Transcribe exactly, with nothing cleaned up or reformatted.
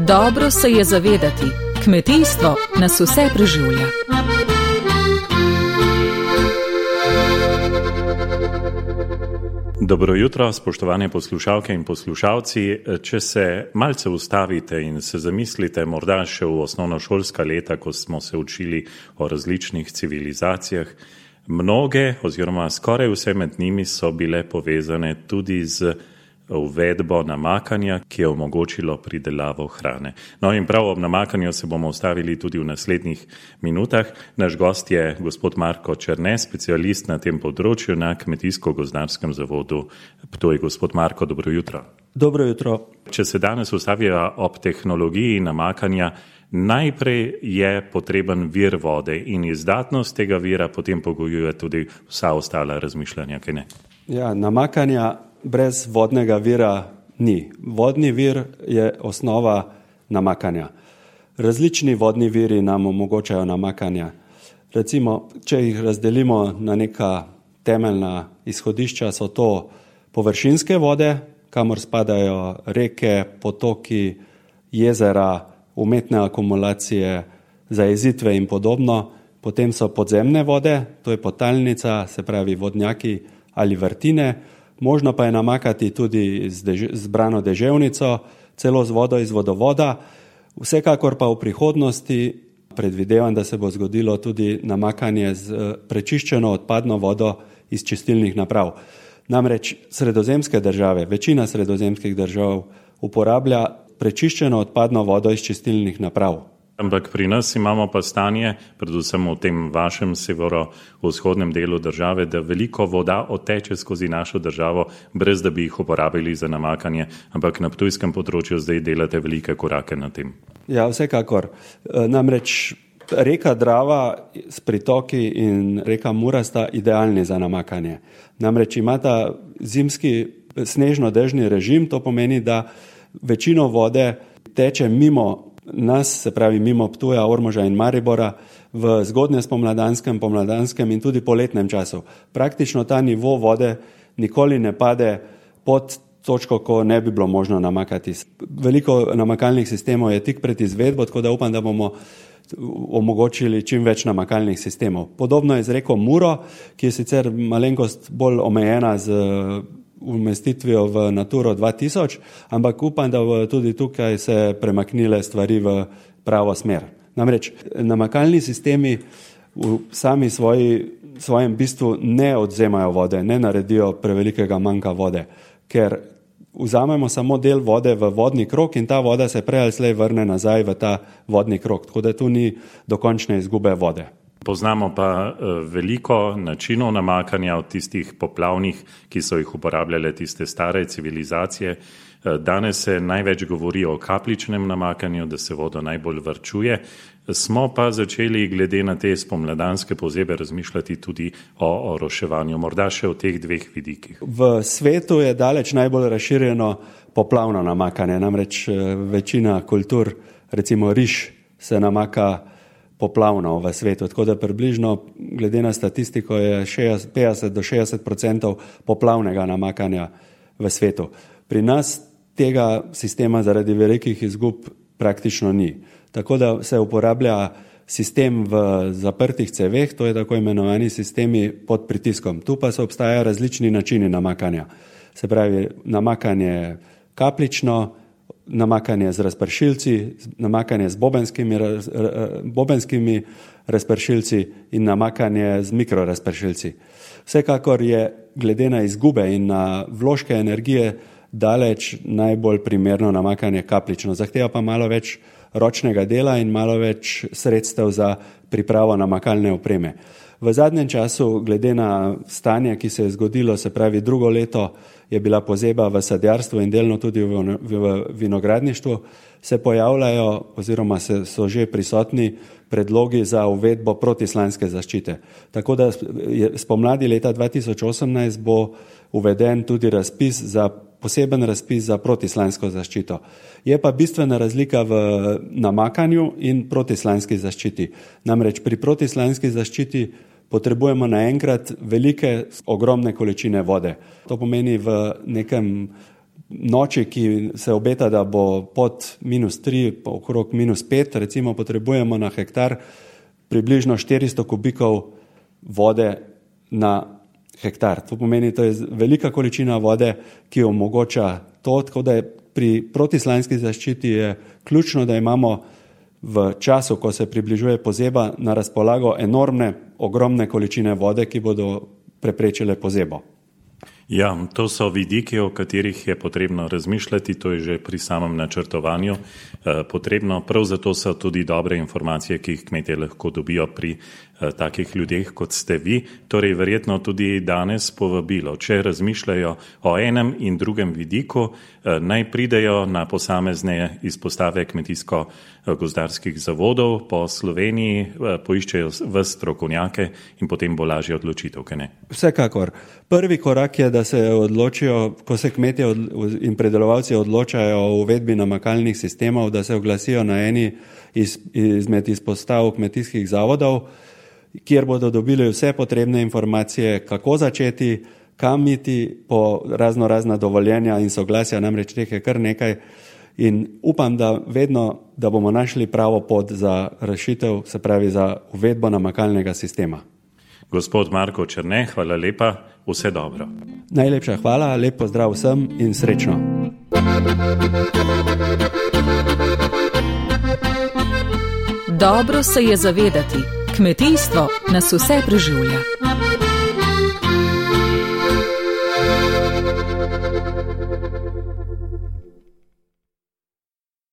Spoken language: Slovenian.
Dobro se je zavedati, kmetijstvo nas vse preživlja. Dobro jutro, spoštovane poslušalke in poslušalci. Če se malce ustavite in se zamislite morda še v osnovnošolska leta, ko smo se učili o različnih civilizacijah, mnoge oziroma skoraj vse med njimi so bile povezane tudi z uvedbo namakanja, ki je omogočilo pridelavo hrane. No in prav ob namakanju se bomo ustavili tudi v naslednjih minutah. Naš gost je gospod Marko Černe, specialist na tem področju na Kmetijsko-gozdarskem zavodu Ptuj. Gospod Marko, dobro jutro. Dobro jutro. Če se danes ustavijo ob tehnologiji namakanja, najprej je potreben vir vode in izdatnost tega vira potem pogojuje tudi vsa ostala razmišljanja, kaj ne? Ja, namakanja brez vodnega vira ni. Vodni vir je osnova namakanja. Različni vodni viri nam omogočajo namakanja. Recimo, če jih razdelimo na neka temeljna izhodišča, so to površinske vode, kamor spadajo reke, potoki, jezera, umetne akumulacije, zajezitve in podobno. Potem so podzemne vode, to je podtalnica, se pravi vodnjaki ali vrtine. Možno pa je namakati tudi z dež- zbrano deževnico, celo z vodo iz vodovoda. Vsekakor pa v prihodnosti predvidevam, da se bo zgodilo tudi namakanje z prečiščeno odpadno vodo iz čistilnih naprav. Namreč sredozemske države, večina sredozemskih držav uporablja prečiščeno odpadno vodo iz čistilnih naprav. Ampak pri nas imamo pa stanje, predvsem v tem vašem severovzhodnem delu države, da veliko voda odteče skozi našo državo, brez da bi jih uporabili za namakanje, ampak na ptujskem področju zdaj delate velike korake na tem. Ja, vsekakor. Namreč reka Drava s pritoki in reka Mura sta idealni za namakanje. Namreč imata zimski snežno-dežni režim, to pomeni, da večino vode teče mimo nas, se pravi mimo Ptuja, Ormoža in Maribora v zgodnjespomladanskem, pomladanskem in tudi poletnem času. Praktično ta nivo vode nikoli ne pade pod točko, ko ne bi bilo možno namakati. Veliko namakalnih sistemov je tik pred izvedbo, tako da upam, da bomo omogočili čim več namakalnih sistemov. Podobno je z reko Muro, ki je sicer malenkost bolj omejena z umestitvijo v Naturo dva tisoč, ampak upam, da bo tudi tukaj se premaknile stvari v pravo smer. Namreč namakalni sistemi v sami svoji, svojem bistvu ne odzemajo vode, ne naredijo prevelikega manjka vode, ker vzamemo samo del vode v vodni krog in ta voda se prej ali slej vrne nazaj v ta vodni krog, tako da tu ni dokončne izgube vode. Poznamo pa veliko načinov namakanja od tistih poplavnih, ki so jih uporabljale tiste stare civilizacije. Danes se največ govori o kapljičnem namakanju, da se vodo najbolj varčuje. Smo pa začeli glede na te spomladanske pozebe razmišljati tudi o oroševanju, morda še o teh dveh vidikih. V svetu je daleč najbolj razširjeno poplavno namakanje, namreč večina kultur, recimo riž, se namaka poplavno v svetu, tako da približno, glede na statistiko, je petdeset do šestdeset odstotkov poplavnega namakanja v svetu. Pri nas tega sistema zaradi velikih izgub praktično ni. Tako da se uporablja sistem v zaprtih ceveh, to je tako imenovani sistemi pod pritiskom. Tu pa so obstajajo različni načini namakanja. Se pravi, namakanje kapljično, namakanje z razpršilci, namakanje z bobenskimi, bobenskimi razpršilci in namakanje z mikrorazpršilci. Vsekakor je glede na izgube in na vložke energije daleč najbolj primerno namakanje kapljično. Zahteva pa malo več ročnega dela in malo več sredstev za pripravo namakalne opreme. V zadnjem času, glede na stanje, ki se je zgodilo, se pravi drugo leto, je bila pozeba v sadjarstvu in delno tudi v, v vinogradništvu, se pojavljajo oziroma se, so že prisotni predlogi za uvedbo protislanske zaščite. Tako da je spomladi leta dva tisoč osemnajst bo uveden tudi razpis za poseben razpis za protislansko zaščito. Je pa bistvena razlika v namakanju in protislanski zaščiti. Namreč pri protislanski zaščiti potrebujemo naenkrat velike, ogromne količine vode. To pomeni v nekem noči, ki se obeta, da bo pod minus tri, okrog minus pet, recimo potrebujemo na hektar približno štiristo kubikov vode na hektar. To pomeni, to je velika količina vode, ki omogoča to, tako da je pri protislanski zaščiti je ključno, da imamo v času, ko se približuje pozeba, na razpolago enormne, ogromne količine vode, ki bodo preprečile pozebo. Ja, to so vidiki, o katerih je potrebno razmišljati, to je že pri samem načrtovanju eh, potrebno. Prav zato so tudi dobre informacije, ki jih kmetje lahko dobijo pri eh, takih ljudeh, kot ste vi. Torej, verjetno tudi danes povabilo, če razmišljajo o enem in drugem vidiku, eh, naj pridejo na posamezne izpostave kmetijsko-gozdarskih zavodov po Sloveniji, eh, poiščejo v strokovnjake in potem bo lažje odločitev, kaj ne? Vsekakor. Prvi korak je, da se odločijo, ko se kmetje in predelovalci odločajo o uvedbi namakalnih sistemov, da se oglasijo na eni iz, izmed izpostav kmetijskih zavodov, kjer bodo dobili vse potrebne informacije, kako začeti, kam iti po razno razna dovoljenja in soglasja, namreč teh je kar nekaj. In upam, da vedno, da bomo našli pravo pot za rešitev, se pravi za uvedbo namakalnega sistema. Gospod Marko Černe, hvala lepa, vse dobro. Najlepša hvala, lep pozdrav vsem in srečno. Dobro se je zavedati, kmetijstvo nas vse preživlja.